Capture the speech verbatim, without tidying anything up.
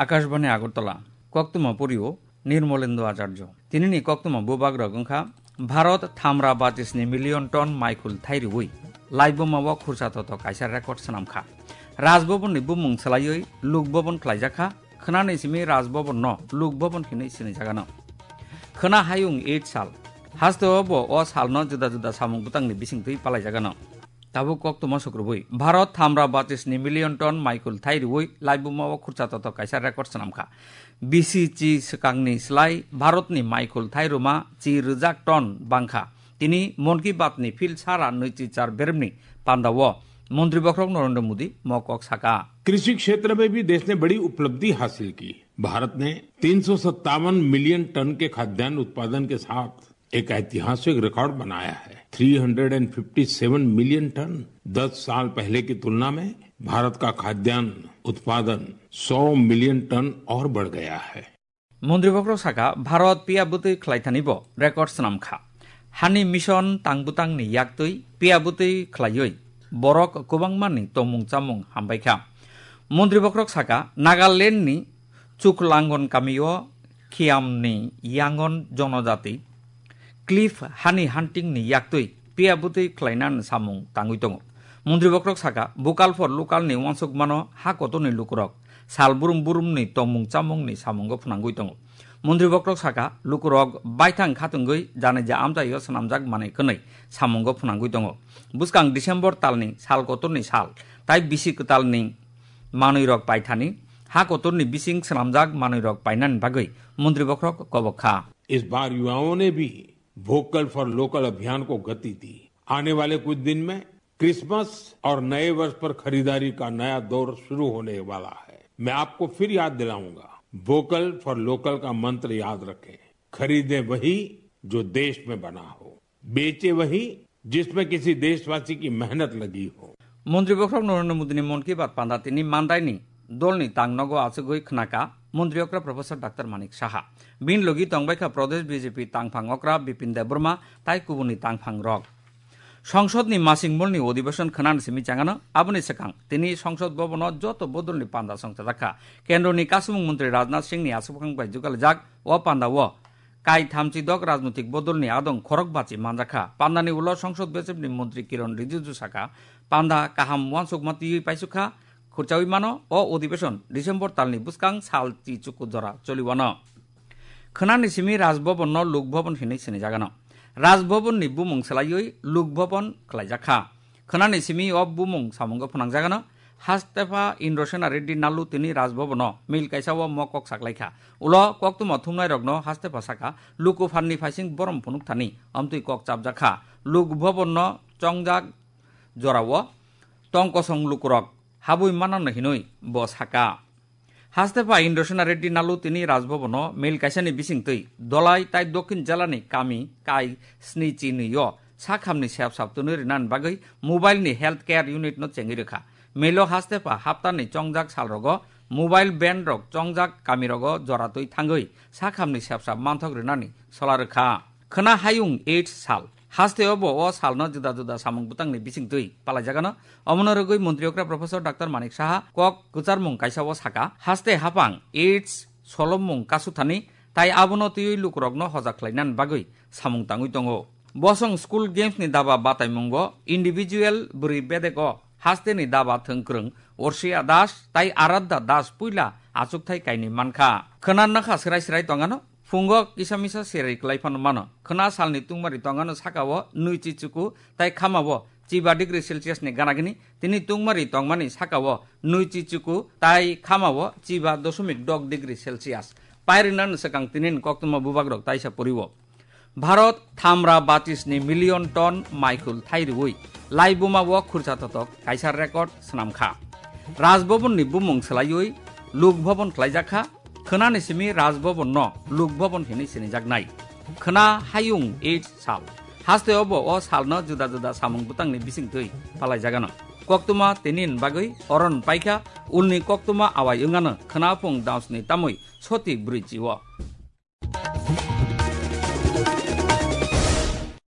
Akashbani Agartala, koktwma pori o Nirmolendo Acharjo. Tinini koktwma bubagrok wngkha Bharat thamra batisni million ton maikhul thai rwui laibuma o khursa toto kaisa record swnamkha. Raj Bhavan ni bumung swlaiwi Lok Bhavan khlaijakha, khwnani simi Raj Bhavan no Lok Bhavan hinwi sinijagano. Khwna hayung eight sal, hasteo bo o salno juda juda samung bwtangni bisingtwi palaijagano. Tabuk koktwma sukrubui Bharat thamra batisni million ton maikhul thai rwui laibuma o khursa toto kaisa record swnamkha. Bisi chi swkangni slai Bharatni maikhul thai rwma chi rwjak ton bangkha. Tini Mon Ki Baat ni phil sara nwichi char beremni pandao Montri Bokhorok Narendra Modi mo kok saka. कृषि क्षेत्र में भी देश ने बड़ी उपलब्धि हासिल की। भारत ने तीन सौ सत्तावन मिलियन टन के खाद्यान्न उत्पादन के साथ एक ऐतिहासिक रिकॉर्ड बनाया है। Three hundred and fifty seven million tonne. दस साल पहले की तुलना में भारत का खाद्यान्न उत्पादन सौ मिलियन टन और बढ़ गया है। Montri Bokhorok saka, Bharat piya bwtwi khlaithani bo record swnamkha. Hani mission tang bwtangni yaktwi piya bwtwi khlaiwi borok kwbangmani tongmung chamung hambaikha. Montri Bokhorok saka, Nagalandni Chuklangon kamio Khiamni Yangon Jonojati Cliff hani hunting ni yaktwi piya bwtwi khlaina samung tangwi tongo. Montri Bokhorok saka, Vocal for Local ni uansukmano ha kotorni lukurok sal burum burumni tongmung chamungni samungo phwnangwi tongo. Montri Bokhorok saka, lukurok baithang khatungwi janija amchaio swnamjak manwi kwnwi samungo phwnangwi tongo. Bwskang December talni sal kotorni sal tai bisi kwtalni manwirok paithani ha kotorni bising swnamjak manwirok painani bagwi Montri Bokhorok kobok kha. इस बार युवाओं ने भी vocal for local अभियान को गति दी। आने वाले कुछ दिन में क्रिसमस और नए वर्ष पर खरीदारी का नया दौर शुरू होने वाला है। मैं आपको फिर याद दिलाऊंगा, वोकल फॉर लोकल का मंत्र याद रखें। खरीदें वही जो देश में बना हो, बेचें वही जिसमें किसी देशवासी की मेहनत लगी हो। Montri Bokhorok Narendra Modi ni Mon Ki Baat panda tini mandaini dolni tang nogo achugwi khnaka Montri okra Professor Doctor Manik Saha. Bini logi tongbaikha Pradesh B J P tangphang okra Bipin Debbarma tai kubuni tangphang rok. Songsod ni masing molni odibeshon khwnani simi changano, aboni swkang tini Songsod Bhavan o joto bodolni panda songchajakha. Kendroni kasumung montri Rajnath Singh ni aswkang bai jugalijak o panda o kai thamchi dok rajnoitik bodolni adong khorok bachi manjakha. Pandani ulo Songsod bechepni montri Kiron Rijiju saka, panda kaham uansukma twiwi paisukha, khurchawi mano o odibeshon December talni bwskang sal chi chuku jora choliwano. Khwnani simi Raj Bhavan no Lok Bhavan hinwi sinijagano. Raj Bhavan ni bumung swlaiwi Lok Bhavan khlaijakha. Khwnani simi o bumung samungo phwnangjagano. Hastepha Indrasena Reddy Nallu tini Raj Bhavan o mil kaisa o mo kok saklaikha. Ulo koktwma thumnairokno Hastepha saka, luku phanni phaising borom phunukthani amtwi kok chapjakha. Lok Bhavan no chongjak jorao tong kosong lukurok habwi manano hinwi bo saka. Hastepha Indrasena Reddy Nallu tini Raj Bhavan o mil kaisani bisingtwi Dholai tai Dokhin Jelani kami kai sni chi nwi o sakhamni sep sap twnwi rinani bagwi mobile ni health care unit no chengwi rwkha. Milo Hastepha haptani chongjak salrogo mobile van rok chongjak kamirogo joratwi thangwi sakhamni sep sap manthok rinani sola rwkha. Khwna hayung eight sal. Hasteo bo o salno juda juda samung bwtangni bisingtwi palaijagano. Omono rwgwi Montri okra Professor Doctor Manik Saha kok kwcharmung kaisa o saka, haste hapang eight solomung kasuthani tai abono twiwi lukurokno hojak khlainani bagwi samung tangwi tongo. Bosong School Games ni daba bataimungo individual bwrwi bedego hasteni daba thwngkwrwng Orsia Das tai Aradha Das puila achukthai kainwi mankha. Khwna nakha srai srai tongano. Phungo kisa misa seri kwlai phano mano. Khwna salni tungmari tongano sakao nwi chi chuku tai khamao chiba degree Celsius ni gana gini, tini tungmari tongmani sakao nwi chi chuku tai khamao chiba dosomik dok degree Celsius. Pairina ni swkang tini ni koktwma bubagrok taisa poriwo. Bharat thamra batis ni million ton maikhul thai rwui laibuma o khursa totok kaisa record swnamkha. Raj Bhavan ni bumung swlaiwi Lok Bhavan khlaijakha. Khwnani simi Raj Bhavan no Lok Bhavan hinwi sinijaknai. Khwna hayung eight sal. Hasteo bo o salno juda juda samung bwtangni bisingtwi palaijagano. Koktwma tinin bagwi oron paikha, ulni koktwma awai wngano khwna phung dansni tamwi soti brwi chio.